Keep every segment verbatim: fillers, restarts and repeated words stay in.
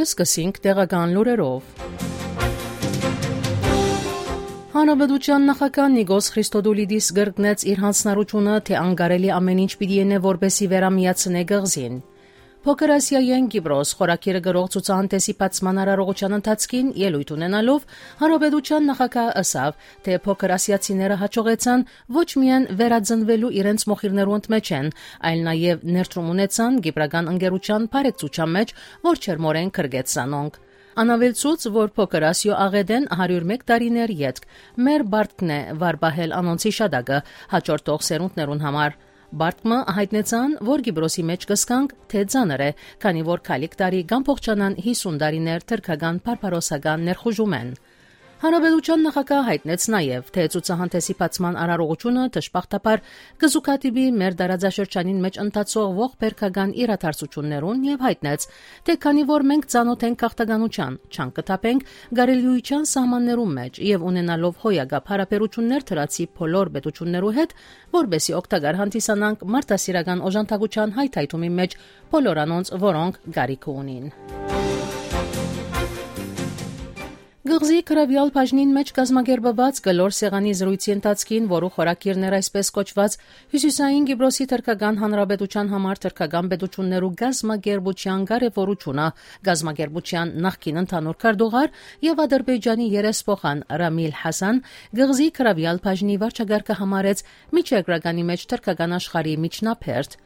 Սկսենք տեղական լուրերով։ Հանրապետության նախագահ Նիկոս Խրիստոդուլիդիս կրկնեց իր յանձնառութիւնը, թէ անկարելի ամէն ինչ պիտի ընէ, որպէսզի վերամիացնէ կղզին։ «Փոքր Ասիայէն Կիպրոս» խորագիրը կրող ցուցահանդէսի բացման արարողութեան ընթացքին ելոյթ ունենալով, հանրապետության նախագահը ըսաւ, թէ փոքր ասիացիները յաջողեցան ոչ միայն վերածնուելու իրենց մոխիրներու ընդմէջէն, այլ նաեւ ներդրում ունեցան կիպրական ընկերութեան բարեկցութեան մէջ, որ ջերմօրէն կրկեց զանոնք։ Ան աւելցուց, որ Փոքր Ասիոյ աղէտէն հարիւր մէկ տարիներ ետք մեր պարտքն է վար պահել անոնց յիշատակը յաջորդող սերունդներուն համար։ Պարտք մը յայտնեցան, որ Կիպրոսի մէջ կը զգանք, թէ ծանր է, քանի որ գալիք տարի կ'ամբողջանան յիսուն տարիներ թրքական բարբարոսական ներխուժումէն։ Հանրապետության նախագահը յայտնեց նաեւ, թէ ցուցահանդէսի բացման արարողութիւնը դժբախտաբար կը զուգադիպի մեր տարածաշրջանին մէջ ընթացող ողբերգական իրադարձութիւններուն եւ յայտնեց, թէ քանի որ մենք ծանօթ ենք գաղթականութեան, չանկ կը թափենք կարելիութեան սահմաններուն մէջ եւ ունենալով հոյակապ յարաբերութիւններ դրացի բոլոր պետութիւններու հետ, որպէսզի օգտակար հանդիսանանք մարդասիրական օժանդակութեան հայթայթումի մէջ բոլոր անոնց, որոնք կարիքը ունին։ Կղզի կրաւեալ բաժնին մէջ կազմակերպուած կլոր սեղանի զրոյցի ընթացքին, որու խորագիրն էր այսպես կոչուած «Հիւսիսային Կիպրոսի թրքական հանրապետութեան համար թրքական պետութիւններու կազմակերպութեան կարեւորութիւնը», կազմակերպութեան նախկին ընդհանուր քարտուղար եւ Ադրբեջանի երեսփոխան Ռամիլ Հասան կղզի կրաւեալ բաժնի վարչակարգը համարեց միջերկրականի մէջ թրքական աշխարհի միջնաբերդ։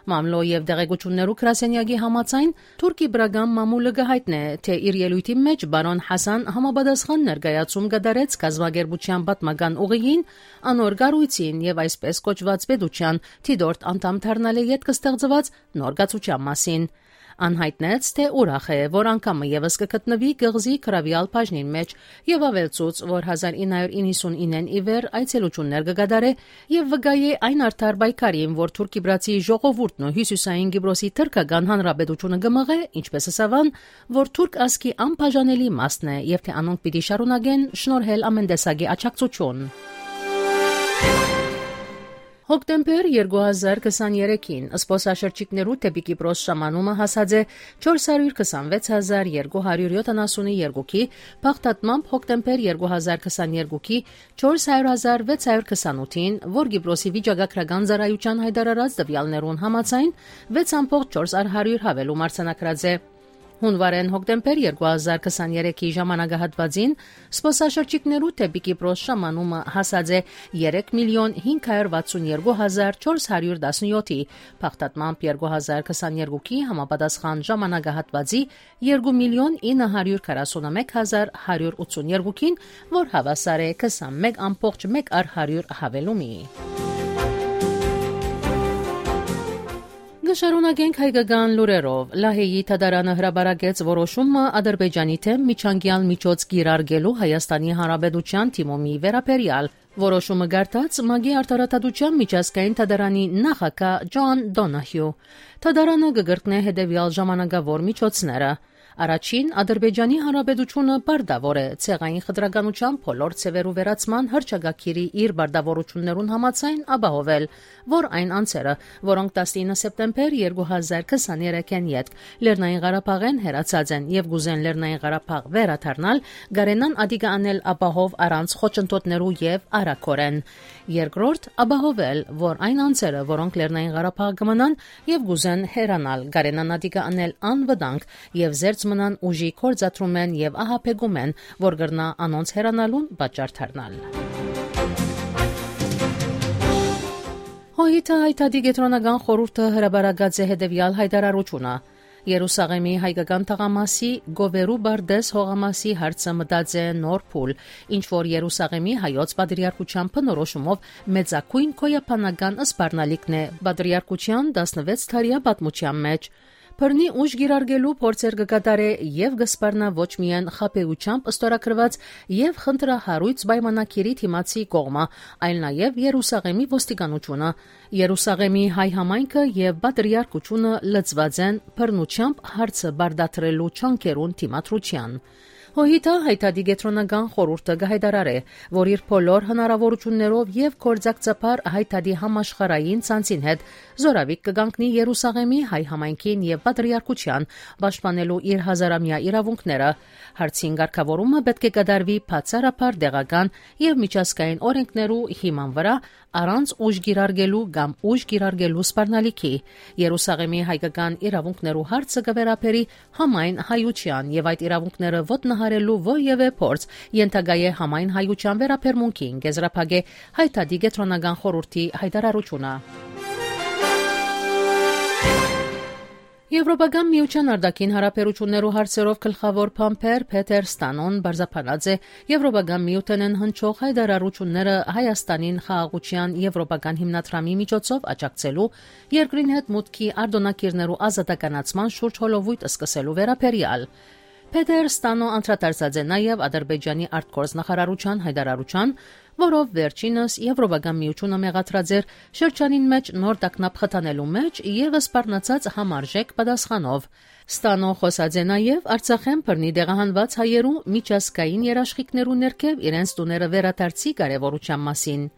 Մամլոյ եւ տեղեկութիւններու գրասենեակի համաձայն, թուրք-կիպրական մամուլը կը յայտնէ, թէ իր ելոյթին մէջ պարոն Հասան համապատասխան ներկայացում կատարեց կազմակերպութեան պատմական ուղիին, անոր կառոյցին եւ այսպես կոչուած պետութեան դիտորդ անդամ դառնալէ ետք ստեղծուած նոր կացութեան մասին։ Ան յայտնեց, թէ ուրախ է, որ անգամ մը եւս կը գտնուի կղզի կրաւեալ բաժնին մէջ եւ աւելցուց, որ հազար ինը հարիւր իննսունիննէն ի վեր այցելութիւններ կը կատարէ եւ վկայ է այն արդար պայքարին, որ թուրք-կիպրացի ժողովուրդն ու հիւսիսային Կիպրոսի թրքական հանրապետութիւնը կը մղէ, ինչպես ըսաւ ան, որ թուրք ազգի անբաժանելի մասն է եւ թէ անոնք պիտի շարունակեն շնորհել ամէն տեսակի աջակցութիւն։ Հոկտեմբեր երկու հազար քսաներեքին զբօսաշրջիկներու դէպի Կիպրոս ժամանումը հասած է չորս հարիւր քսանվեց հազար երկու հարիւր յոթանասունի երկուքի, բաղդատմամբ հոկտեմբեր երկու հազար քսաներկուքի չորս հարիւր հազար վեց հարիւր քսանութին, որ Կիպրոսի վիճակագրական ծառայութեան յայտարարած տուեալներուն համաձայն, վեց ամբողջ չորս հարիւր յաւելում արձանագրած է։ Յունուարէն հոկտեմբեր երկու հազար քսաներեքի ժամանակահատուածին զբօսաշրջիկներու դէպի Կիպրոս ժամանումը հասած է երեք միլիոն հինգ հարիւր վաթսուն երկու հազար չորս հարիւր տասնյոթի, բաղդատմամբ երկու հազար քսաներկուքի համապատասխան ժամանակահատուածի երկու միլիոն ինը հարիւր քառասունմեկ հազար հարիւր ութսուն երկուքին, որ հաւասար է քսանմեկ ամբողջ մէկ առ հարիւր յաւելումի։ Կը շարունակենք հայկական լուրերով։ Լահեի դատարանը հրապարակեց որոշումը Ադրբեջանի դէմ միջանկեալ միջոց կիրարկելու Հայաստանի Հանրապետութեան դիմումի վերաբերեալ։ Որոշումը կարդաց ՄԱԿ-ի Արդարադատության միջազգային դատարանի նախագահ Ջոան Դոնահիու։ Դատարանը կը կրկնէ հետեւեալ ժամանակաւոր միջոցները։ Առաջին, Ադրբեջանի Հանրապետութիւնը պարտաւոր է ցեղային խտրականութեան բոլոր ձեւերու վերացման հռչակագիրի իր պարտաւորութիւններուն համաձայն ապահովել, որ այն անձերը, որոնք տասնինը սեպտեմբեր երկու հազար քսաներեքէն ետք Լեռնային Ղարաբաղէն հեռացած են եւ կ'ուզեն Լեռնային Ղարաբաղ վերադառնալ, կարենան ատիկը անել ապահով առանց խոչընդոտներու եւ արագօրէն։ Երկրորդ, ապահովել, որ այն անձերը, որոնք Լեռնային Ղարաբաղ կը մնան եւ կ'ուզեն հեռանալ, կարենան ատիկը անել անվտանգ եւ զերծ մնան ուժի գործադրումէն եւ ահաբեկումէն, որ կրնայ անոնց հեռանալուն պատճառ դառնալ։ Հոհիթը Հայ Դատի կեդրոնական խորհուրդը հրապարակած է հետեւեալ յայտարարութիւնը։ Երուսաղեմի հայկական թաղամասի Գովերու Բարդես հողամասի հարցը մտած է նոր փուլ, ինչ որ Երուսաղեմի հայոց պատրիարքութեան բնորոշումով մեծագոյն գոյաբանական սպառնալիքն է պատրիարքութեան տասնվեց դարեայ պատմութեան մէջ։ Բռնի ուժ կիրարկելու փորձեր կը կատարէ եւ կը սպառնայ ոչ միայն խաբեությամբ ստորագրուած եւ խնդրահարոյց պայմանագիրի դիմացի կողմը, այլ նաեւ Երուսաղեմի ոստիկանութիւնը։ Երուսաղեմի հայ համայնքը եւ պատրիարքութիւնը լծուած են բռնութեամբ հարցը պարտադրելու ջանքերուն դիմադրութեան։ Հոյիթա Հայ Դատի Կեդրոնական Խորհուրդը կը յայտարարէ, որ իր բոլոր հնարաւորութիւններով եւ գործակցաբար Հայ Դատի համաշխարհային ցանցին հետ զօրավիգ կը կանգնի Երուսաղէմի հայ համայնքին եւ պատրիարքութեան, պաշտպանելու իր հազարամեայ իրաւունքները։ Հարցին կարգաւորումը պէտք է կատարուի բացառաբար տեղական եւ միջազգային օրէնքներու հիման վրայ, առանց ուժ կիրարկելու կամ ուժ կիրարկելու սպառնալիքի։ Երուսաղէմի հայկական իրաւունքներու հարցը կը վերաբերի համայն հայութեան եւ այդ իրաւունքները ոտնահարելու որեւէ փորձ ենթակայ է համայն հայութեան վերաբերմունքին, կ'եզրափակէ Հայ Դատի Կեդրոնական Խորհուրդի յայտարարութիւնը։ Եվրոպական Միութեան արտաքին յարաբերութիւններու հարցերով գլխաւոր բանբեր Փեթեր Ստանոն պարզաբանած է Եվրոպական Միութենէն հնչող յայտարարութիւնները Հայաստանին խաղաղութեան եվրոպական հիմնադրամի միջոցով աջակցելու, երկրին հետ մուտքի արտօնագիրներու ազատականացման շուրջ հոլովոյթ սկսելու վերաբերեալ։ Փեթեր Ստանոն անդրադարձած է նաեւ Ադրբեջանի արտգործնախարարութեան յայտարարութեան, որով վերջինս Եվրոպական Միութիւնը մեղադրած էր շրջանին մէջ նոր տագնապ խթանելու մէջ եւ սպառնացած համարժեք պատասխանով։ Ստանոն խօսած է նաեւ Արցախէն բռնի տեղահանուած հայերու միջազգային երաշխիքներու ներքեւ իրենց տուները վերադարձի կարեւորութեան մասին։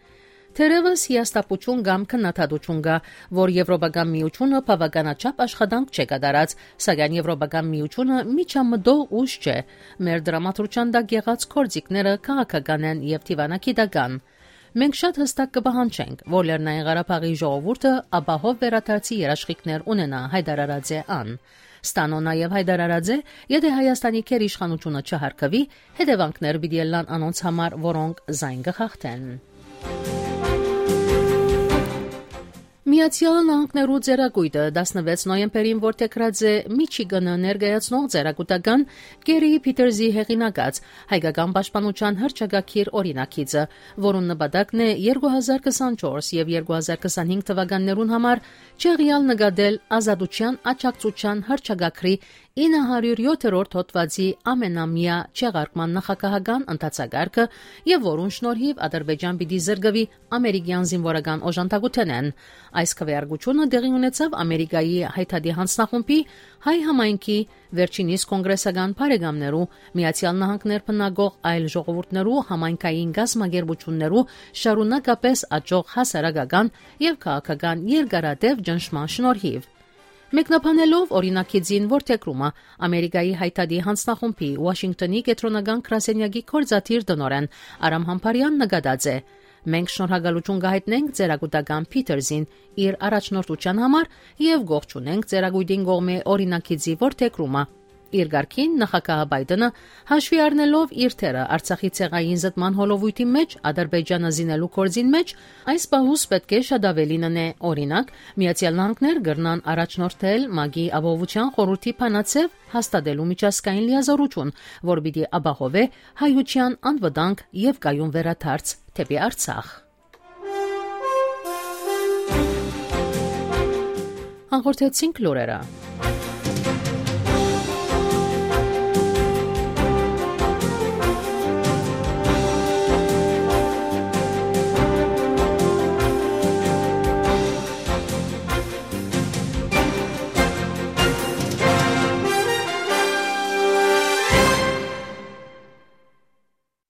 Թերեւս հիասթափութիւն կամ քննադատութիւն կայ, որ Եվրոպական Միութիւնը բաւականաչափ աշխատանք չէ կատարած, սակայն Եվրոպական Միութիւնը միջամտող ուժ չէ։ Մեր դրամատրութեան տակ եղած գործիքները քաղաքական են եւ դիւանագիտական։ Մենք շատ յստակ կը պահանջենք, որ Լեռնային Ղարաբաղի ժողովուրդը ապահով վերադարձի երաշխիքներ ունենայ, յայտարարած է ան։ Ստանոն նաեւ յայտարարած է, եթէ Հայաստանի գերիշխանութիւնը չյարգուի, հետեւանքներ պիտի ըլլան անոնց համար, որոնք զայն կը խախտեն։ Միացեալ Նահանգներու Ծերակոյտը տասնվեց նոյեմբերին որդեգրած է Միչիգանը ներկայացնող ծերակուտական Կերի Փիթերզի հեղինակած հայկական պաշտպանութեան հռչակագիր օրինագիծը, որուն նպատակն է երկու հազար քսանչորս եւ երկու հազար քսանհինգ թվականներուն համար չեղեալ նկատել Ազատութեան աջակցութեան հռչակագրի ինը հարիւր յոթերորդ հոդուածի ամենամեայ չեղարկման նախագահական ընթացակարգը եւ որուն շնորհիվ Ադրբեջան պիտի զրկուի ամերիկեան զինուորական օժանդակութենէն։ Այս քվեարկութիւնը տեղի ունեցաւ Ամերիկայի Հայ Դատի յանձնախումբի հայ համայնքի, վերջինիս կոնգրեսական բարեկամներու, Միացեալ Նահանգներ բնակող այլ ժողովուրդներու, համայնքային կազմակերպութիւններու շարունակապէս աճող հասարակական եւ քաղաքական երկարատեւ ճնշման շնորհիվ։ Մեկնաբանելով օրինագիծին որդեգրումը, Ամերիկայի Հայ Դատի յանձնախումբի Ուաշինկտոնի կեդրոնական գրասենյակի գործադիր տնօրէն Արամ Համբարեան նկատած է. «Մենք շնորհակալութիւն կը յայտնենք ծերակուտական Փիթերզին իր առաջնորդութեան համար եւ կողջունենք ծերակոյտին կողմէ օրինագիծի որդեգրումը»։ Իր կարգին նախագահ Պայտընը հաշուի առնելով իր դերը Արցախի ցեղային զտման հոլովոյթի մէջ Ադրբեջանը զինելու գործին մէջ, այս պահուս պէտք է շատ աւելին ընէ։ Օրինակ, Միացեալ Նահանգներ կրնան առաջնորդել ՄԱԿ-ի Ապահովութեան խորհուրդի բանաձեւ հաստատելու միջազգային լիազորութիւն, որ պիտի ապահովէ հայութեան անվտանգ եւ կայուն վերադարձ դէպի Արցախ։ Հաղորդեցինք լուրերը։